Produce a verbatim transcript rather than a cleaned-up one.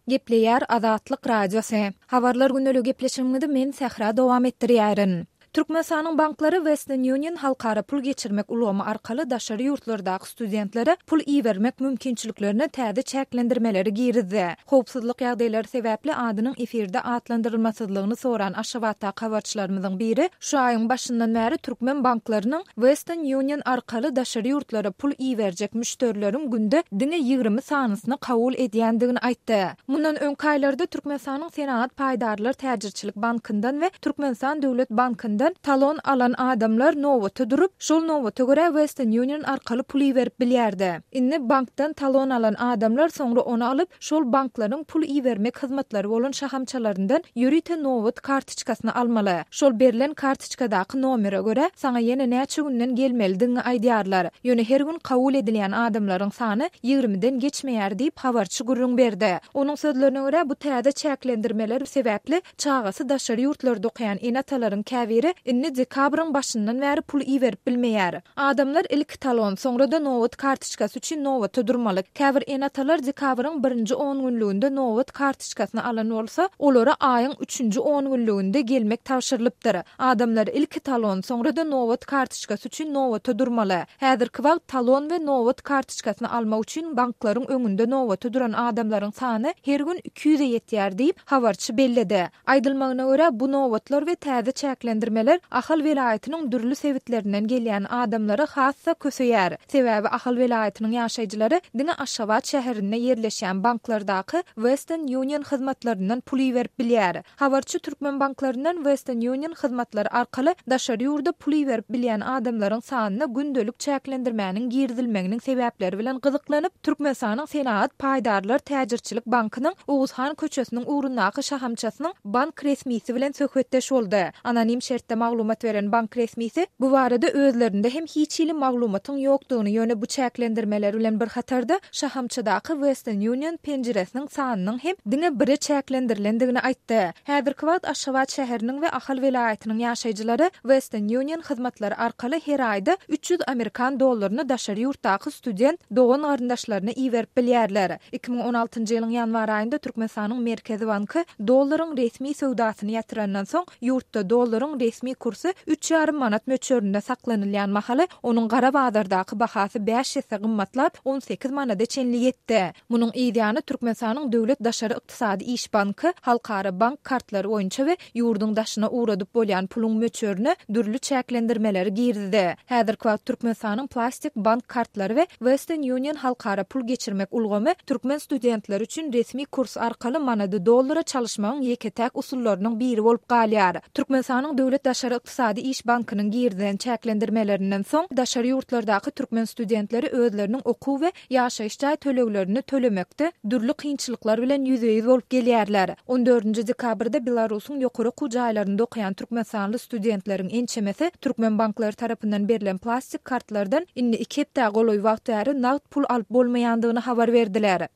Gepleýär Azatlyk Radiosy. Habarlar gündelik gepleşigimizi men Sähra dowam etdirýärin. Türkmenistanyň banklary Western Union halkara pul geçirmek ulgamy arkaly daşary ýurtlardaky studentlere pul ibermek mümkinçiliklerine täze çäklendirmeleri girizdi. Howpsuzlyk ýagdaýlary sebäpli adynyň efirde atlandyrylmasyzlygyny soran Aşgabatdaky habarçylarymyzyň biri şu aýyň başyndan bäri türkmen banklarynyň Western Union arkaly daşary ýurtlara pul iberjek müşderileriň günde diňe ýigrimi sanysyny kabul edýändigini aýtdy. Mundan öňki aýlarda Türkmenistanyň Senagat paýdarlar täjirçilik bankyndan we Türkmenistan döwlet bankyndan talon alan adamlar nobata durup, şol nobata görä Western Union arkaly pul iberip bilýärdi. Indi bankdan talon alan adamlar soňra ony alyp, şol banklaryň pul ibermek hyzmatlary bolan şahamçalaryndan ýörite nobat kartoçkasyny almaly. Şol berlen kartoçkadaky nomere görä, saňa ýene näçe günden gelmelidigiňi aýdýarlar. Ýöne her gün kabul edilýän adamlaryň sany ýigrimiden geçmeýär diýip habarçy gürrüň berdi. Onuň sözlerine görä, bu täze çäklendirmeler sebäpli çagasy daşary ýurtlarda okaýan ene-atalaryň käbiri indi dekabryň başyndan bäri pul iberip bilmeýär. Adamlar ilki talon, soňra-da nobat kartoçkasy üçin nobata durmaly. Käbir ene-atalar dekabryň birinji on günlüginde nobat kartoçkasyny alan bolsa, olara aýyň üçünji on günlüginde gelmek tabşyrylypdyr. Adamlar ilki talon, soňra-da nobat kartoçkasy üçin nobata durmaly. Häzirki wagt talon we nobat kartoçkasyny almak üçin banklaryň öňünde nobata duran adamlaryň sany her gün iki ýüze ýetýär diýip, habarçy belledi. Aýdylmagyna görä, bu nobatlar we täze çäklendirmeler Ahal welaýatynyň dürli sebitlerinden gelýän adamlary has-da köseýär. Sebäbi Ahal welaýatynyň ýaşaýjylary diňe Aşgabat şäherinde ýerleşýän banklardaky Western Union hyzmatlaryndan pul iberip bilýär. Habarçy türkmen banklaryndan Western Union hyzmatlary arkaly daşary ýurda pul iberip bilýän adamlaryň sanyna gündelik çäklendirmäniň girizilmeginiň sebäpleri bilen gyzyklanyp, Türkmenistanyň Senagat paýdarlar täjirçilik bankynyň Oguzhan köçesiniň ugrundaky şahamçasynyň bank resmisi bilen söhbetdeş boldy. Anonim şertde maglumat beren bank resmisi bu barada özlerinde hem hiç hili maglumatyň ýokdugyny, ýöne bu çäklendirmeler bilen bir hatarda şahamçadaky Western Union penjiresiniň sanynyň hem diňe bire çäklendirilendigini aýtdy. Häzirki wagt Aşgabat şäheriniň we Ahal welaýatynyň ýaşaýjylary Western Union hyzmatlary arkaly her aýda üç ýüz amerikan dollaryny daşary ýurtdaky student dogan garyndaşlaryna iberip bilýärler. iki müň on altynjy ýylyň ýanwar aýynda Türkmenistanyň Merkezi banky dollaryň resmi söwdasyny ýatyrandan soň ýurtda dollaryň resmi kursy üç ýarym manat möçberinde saklanylýan mahaly onuň gara bazardaky bahasy bäş esse gymmatlap on sekiz manada çenli ýetdi. Munuň yzýany Türkmenistanyň Döwlet Daşary Ykdysady Iş Banky halkara bank kartlary boýunça we ýurduň daşyna ugradyp bolýan puluň möçberine dürli çäklendirmeleri girizdi. Häzirki wagt Türkmenistanyň plastik bank kartlary we Western Union halkara pul geçirmek ulgamy türkmen studentleri üçin resmi kurs arkaly manady dollara çalyşmagyň ýeke-täk usullarynyň biri bolup galýar. Türkmenistanyň Döwlet Daşary Ykdysady Iş Bankynyň girizilen çäklendirmelerinden soň daşary ýurtlardaky türkmen studentleri özleriniň okuw we ýaşaýyş jaý töleglerini tölemekde dürli kynçylyklar bilen ýüzbe-ýüz bolup gelýärler. on dördünji dekabrda Belarusyň ýokary okuw jaýlarynda okaýan türkmenistanly studentleriň ençemesi türkmen banklary tarapyndan berlen plastik kartlardan indi iki hepdä golaý wagt bäri nagt pul alyp bolmaýandygyny habar berdiler.